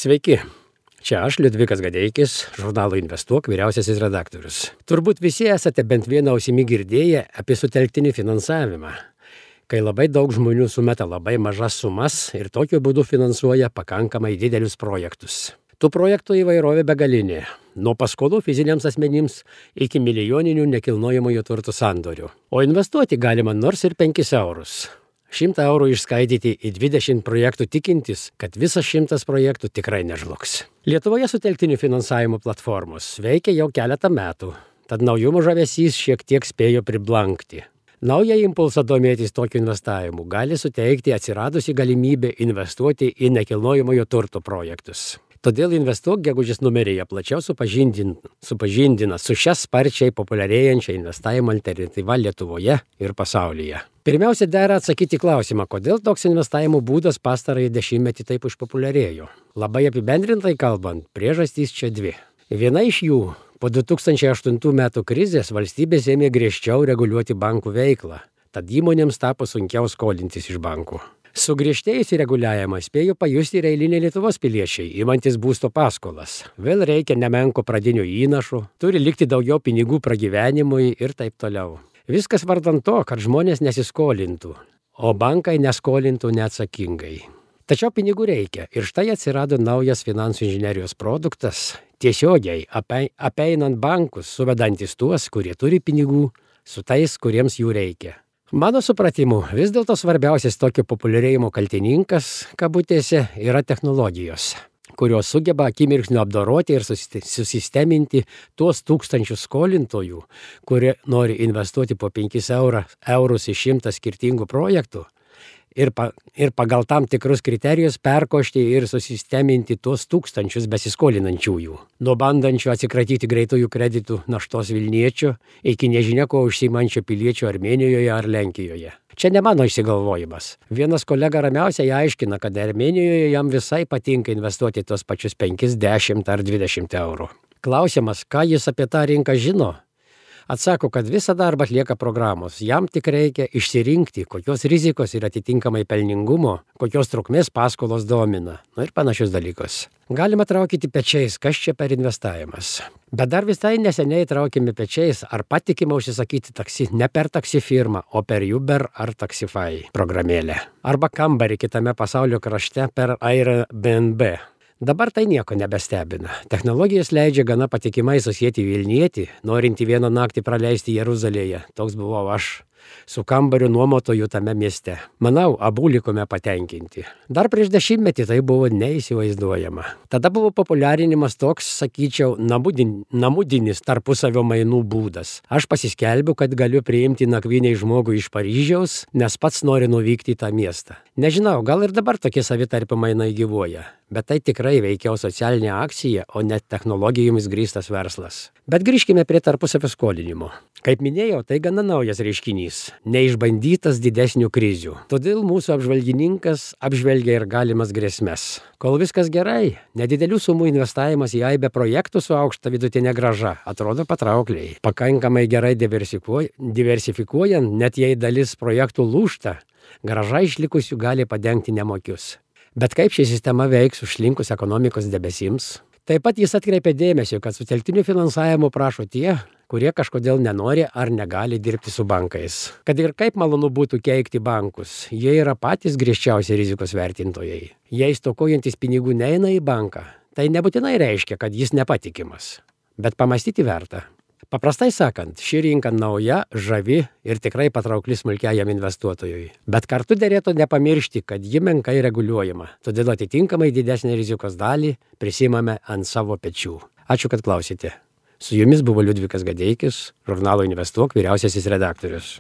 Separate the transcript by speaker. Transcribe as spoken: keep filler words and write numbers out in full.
Speaker 1: Sveiki, čia aš Liudvikas Gadeikis, žurnalo Investuok vyriausiasis redaktorius. Turbūt visi esate bent vieną ausimi girdėję apie sutelktinį finansavimą, kai labai daug žmonių sumeta labai mažas sumas ir tokiu būdu finansuoja pakankamai didelius projektus. Tų projektų įvairovė begalinė, nuo paskolų fiziniams asmenims iki milijoninių nekilnojamojo turto sandorių. O investuoti galima nors ir penkis eurus. Šimtą eurų išskaidyti į dvidešimt projektų tikintis, kad visas šimtas projektų tikrai nežlugs. Lietuvoje sutelktinių finansavimo platformos veikia jau keletą metų, tad naujumo žavesys šiek tiek spėjo priblankti. Naują impulsą domėtis tokiu investavimu gali suteikti atsiradusi galimybė investuoti į nekilnojamojo turto projektus. Todėl Investuok gegužės numeryje plačiau supažindina, supažindina su šia sparčiai populiarėjančia investavimo alternatyva Lietuvoje ir pasaulyje. Pirmiausia, dera atsakyti klausimą, kodėl toks investavimo būdas pastarąjį dešimtmetį taip išpopuliarėjo. Labai apibendrintai kalbant, priežastys čia dvi. Viena iš jų, po du tūkstančiai aštuntų metų krizės valstybės ėmė griežčiau reguliuoti bankų veiklą, tad įmonėms tapo sunkiau skolintis iš bankų. Sugriežtėjusį reguliavimą spėjo pajusti ir eiliniai Lietuvos piliečiai, imantis būsto paskolas. Vėl reikia nemenko pradinio įnašo, turi likti daugiau pinigų pragyvenimui ir taip toliau. Viskas vardan to, kad žmonės nesiskolintų, o bankai neskolintų neatsakingai. Tačiau pinigų reikia ir štai atsirado naujas finansų inžinerijos produktas, tiesiogiai apeinant bankus, suvedantis tuos, kurie turi pinigų, su tais, kuriems jų reikia. Mano supratimu, vis dėlto svarbiausias tokio populiarėjimo kaltininkas, kabutėse, yra technologijos, kurios sugeba akimirksniu apdoroti ir susisteminti tuos tūkstančius skolintojų, kurie nori investuoti po penkis eurus į šimtą skirtingų projektų ir, pa, ir pagal tam tikrus kriterijus perkošti ir susisteminti tuos tūkstančius besiskolinančiųjų. Nuo bandančių atsikratyti greitųjų kreditų naštos Vilniečio iki nežinia ko užsiimančio piliečio Armėnijoje ar Lenkijoje. Čia ne mano išsigalvojimas. Vienas kolega ramiausiai aiškina, kad Armėnijoje jam visai patinka investuoti tuos pačius penkis, dešimt ar dvidešimt eurų. Klausimas, ką jis apie tą rinką žino? Atsako, kad visą darbą atlieka programos. Jam tik reikia išsirinkti, kokios rizikos ir atitinkamai pelningumo, kokios trukmės paskolos domina. Nu ir panašius dalykus. Galima traukyti pečiais, kas čia per investavimas. Bet dar visai neseniai traukėme pečiais, ar patikima užsisakyti taksi ne per taksi firmą, o per Uber ar Taxify programėlę. Arba kambarį kitame pasaulio krašte per Airbnb. Dabar tai nieko nebestebina. Technologijos leidžia gana patikimai susijęti Vilnietį, norintį vieną naktį praleisti Jeruzalėje. Toks buvau aš, su kambariu nuomotoju tame mieste. Manau, abu likome patenkinti. Dar prieš dešimtmetį tai buvo neįsivaizduojama. Tada buvo populiarinimas toks, sakyčiau, namudin, namudinis tarpusavio mainų būdas. Aš pasiskelbiu, kad galiu priimti nakvynei žmogų iš Paryžiaus, nes pats noriu nuvykti į tą miestą. Nežinau, gal ir dabar tokie savitarpio mainai gyvuoja. Bet tai tikrai veikiau socialinė akcija, o ne technologijomis grįstas verslas. Bet grįžkime prie tarpusavio skolinimo. Kaip minėjau, tai gana naujas reiškinys, neišbandytas didesnių krizių. Todėl mūsų apžvalgininkas apžvelgia ir galimas grėsmes. Kol viskas gerai, nedidelių sumų investavimas į aibę projektų su aukšta vidutinė grąža atrodo patraukliai. Pakankamai gerai diversifikuojant, net jei dalis projektų lūžta, grąža išlikusių gali padengti nemokius. Bet kaip ši sistema veiks užslinkus ekonomikos debesims? Taip pat jis atkreipia dėmesio, kad sutelktiniu finansavimu prašo tie, kurie kažkodėl nenori ar negali dirbti su bankais. Kad ir kaip malonu būtų keikti bankus, jie yra patys griežčiausi rizikos vertintojai. Jei stokojantis pinigų neina į banką, tai nebūtinai reiškia, kad jis nepatikimas. Bet pamastyti verta. Paprastai sakant, ši rinka nauja, žavi ir tikrai patraukli smulkiajam investuotojui. Bet kartu derėtų nepamiršti, kad ji menkai reguliuojama, todėl atitinkamai didesnę rizikos dalį prisimame ant savo pečių. Ačiū, kad klausėte. Su jumis buvo Liudvikas Gadeikis, žurnalo Investuok vyriausiasis redaktorius.